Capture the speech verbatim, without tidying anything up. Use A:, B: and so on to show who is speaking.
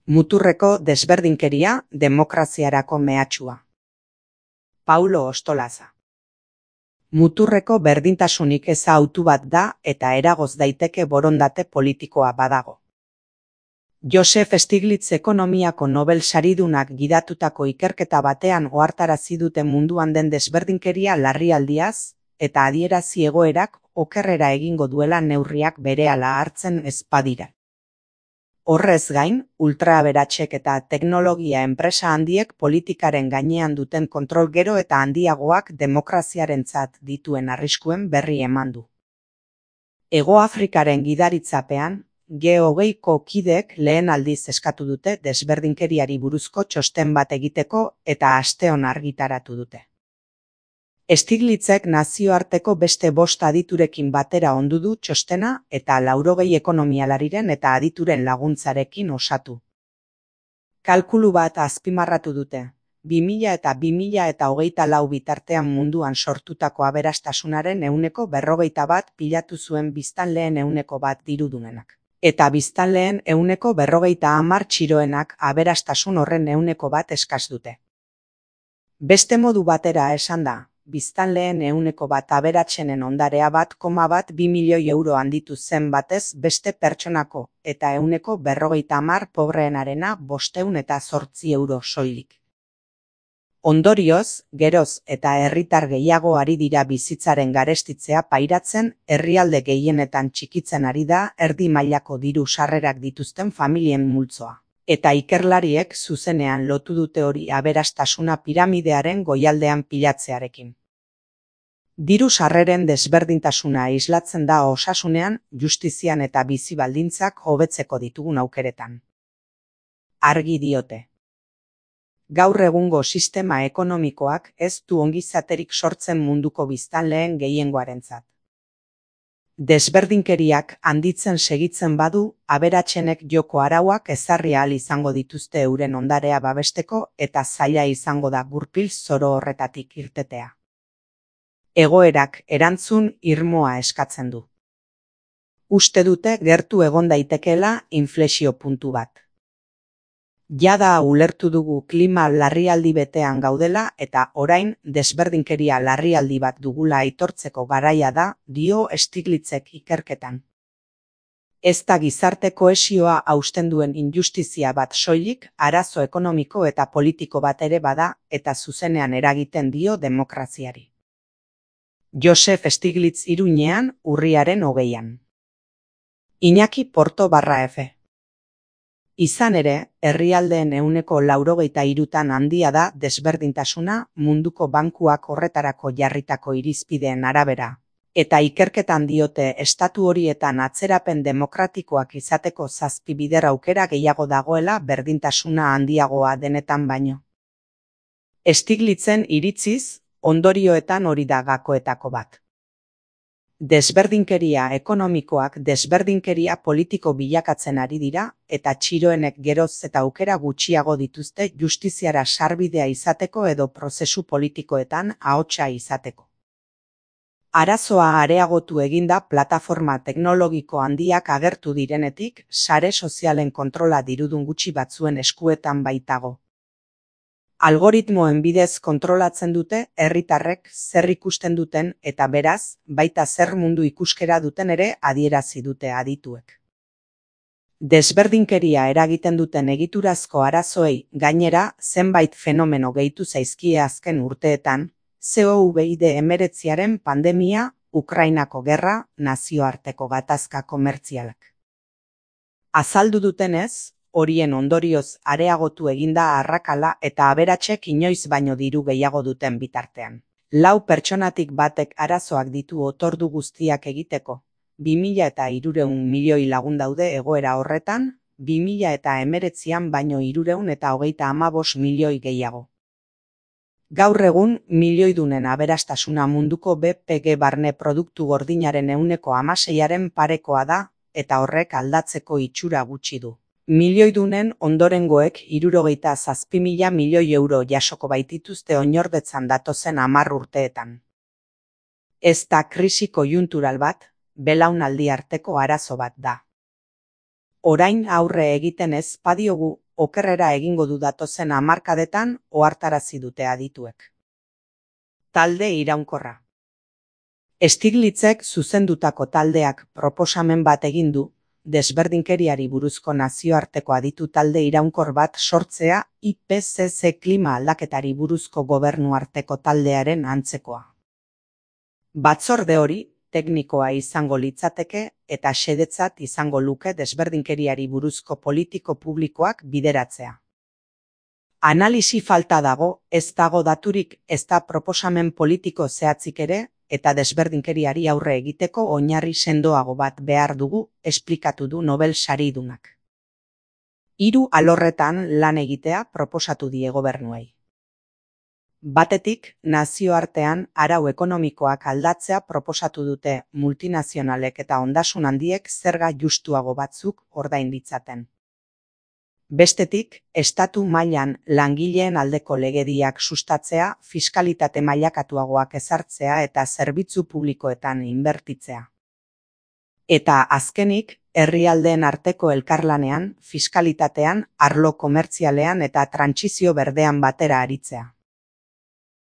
A: Muturreko desberdinkeria demokraziarako mehatxua. Paulo Ostolaza. Muturreko berdintasunik eza autu bat da eta eragoz daiteke borondate politikoa badago. Joseph Stiglitz ekonomiako Nobel saridunak gidatutako ikerketa batean ohartarazi dute munduan den desberdinkeria larrialdiaz eta adierazi egoerak okerrera egingo duela neurriak berehala hartzen ez badira. Horrez gain, ultraaberatxek eta teknologia enpresa handiek politikaren gainean duten kontrol gero eta handiagoak demokraziarentzat dituen arriskuen berri eman du. Hego Afrikaren gidaritzapean, G hogeiko kideek lehen aldiz eskatu dute desberdinkeriari buruzko txosten bat egiteko eta asteon argitaratu dute. Stiglitzek nazioarteko beste bost aditurekin batera ondu du txostena eta laurogei ekonomialariren eta adituren laguntzarekin osatu. Kalkulu bat azpimarratu dute, bi mila eta bi mila eta hogeita lau bitartean munduan sortutako aberastasunaren ehuneko berrogeita bat pilatu zuen biztanleen ehuneko bat dirudunenak. Eta biztanleen ehuneko berrogeita hamar txiroenak aberastasun horren ehuneko bat eskas dute. Beste modu batera esan da, biztanleen ehuneko bat aberatsenen ondarea bat koma bat bi milioi euro handitu zen batez beste pertsonako eta ehuneko berrogeita hamar pobreenarena bosteun eta zortzi euro soilik. Ondorioz, geroz eta herritar gehiago ari dira bizitzaren garestitzea pairatzen, herrialde gehienetan txikitzen ari da erdi mailako diru sarrerak dituzten familien multzoa. Eta ikerlariek zuzenean lotu dute hori aberastasuna piramidearen goialdean pilatzearekin. Diru sarreren desberdintasuna islatzen da osasunean, justizian eta bizi baldintzak hobetzeko ditugun aukeretan. Argi diote. Gaur egungo sistema ekonomikoak ez du ongizaterik sortzen munduko biztanleen gehiengoarentzat. Desberdinkeriak handitzen segitzen badu, aberatsenek joko arauak ezarri ahal izango dituzte euren ondarea babesteko eta zaila izango da gurpil zoro horretatik irtetea. Egoerak erantzun irmoa eskatzen du. Uste dute gertu egon daitekeela inflexio puntu bat. Jada ulertu dugu klima larrialdi betean gaudela eta orain desberdinkeria larrialdi bat dugula aitortzeko garaia da, dio Stiglitzek ikerketan. Ez da gizarte kohesioa hausten duen injustizia bat soilik, arazo ekonomiko eta politiko bat ere bada eta zuzenean eragiten dio demokraziari. Joseph Stiglitz Iruñean, urriaren hogeian. Iñaki Porto barra F. Izan ere, herrialdeen ehuneko laurogeita hirutan handia da desberdintasuna munduko bankuak horretarako jarritako irizpideen arabera. Eta ikerketan diote estatu horietan atzerapen demokratikoak izateko zazpi bider aukera gehiago dagoela berdintasuna handiagoa denetan baino. Stiglitzen iritziz, ondorioetan hori da gakoetako bat. Desberdinkeria ekonomikoak desberdinkeria politiko bilakatzen ari dira eta txiroenek geroz eta aukera gutxiago dituzte justiziara sarbidea izateko edo prozesu politikoetan ahotsa izateko. Arazoa areagotu eginda plataforma teknologiko handiak agertu direnetik, sare sozialen kontrola dirudun gutxi batzuen eskuetan baitago. Algoritmoen bidez kontrolatzen dute herritarrek zer ikusten duten eta beraz, baita zer mundu ikuskera duten ere adierazi dute adituek. Desberdinkeria eragiten duten egiturazko arazoei gainera zenbait fenomeno gehitu zaizkie azken urteetan, covid hemeretziaren pandemia, Ukrainako gerra, nazioarteko gatazka komertzialak. Azaldu dutenez, horien ondorioz areagotu eginda arrakala eta aberatsek inoiz baino diru gehiago duten bitartean. Lau pertsonatik batek arazoak ditu otordu guztiak egiteko, bi mila eta hirurehun milioi lagun daude egoera horretan, bi mila eta hemeretzian baino hirurehun eta hogeita hamabost milioi gehiago. Gaur egun, milioidunen aberastasuna munduko B P G barne produktu gordinaren ehuneko hamaseiaren parekoa da eta horrek aldatzeko itxura gutxi du. Milioidunen ondorengoek hirurogeita zazpi mila milioi euro jasoko baitituzte oinordetzan datozen hamar urteetan. Ez da krisi koiuntural bat, belaunaldi arteko arazo bat da. Orain aurre egiten ez badiogu, okerrera egingo du datozen hamarkadetan ohartarazi dute adituek. Talde iraunkorra. Stiglitzek zuzendutako taldeak proposamen bat egin du, desberdinkeriari buruzko nazioarteko aditu talde iraunkor bat sortzea I P C C klima aldaketari buruzko gobernuarteko taldearen antzekoa. Batzorde hori teknikoa izango litzateke eta xedetzat izango luke desberdinkeriari buruzko politiko publikoak bideratzea. Analisi falta dago, ez dago daturik, ez da proposamen politiko zehatzik ere, eta desberdinkeriari aurre egiteko oinarri sendoago bat behar dugu, esplikatu du Nobel saridunak. Hiru alorretan lan egitea proposatu die gobernuei. Batetik, nazioartean arau ekonomikoak aldatzea proposatu dute multinazionalek eta ondasun handiek zerga justuago batzuk ordain ditzaten. Bestetik, estatu mailan langileen aldeko legediak sustatzea, fiskalitate mailakatuagoak ezartzea eta zerbitzu publikoetan inbertitzea. Eta azkenik, herrialdeen arteko elkarlanean, fiskalitatean, arlo komertzialean eta trantsizio berdean batera aritzea.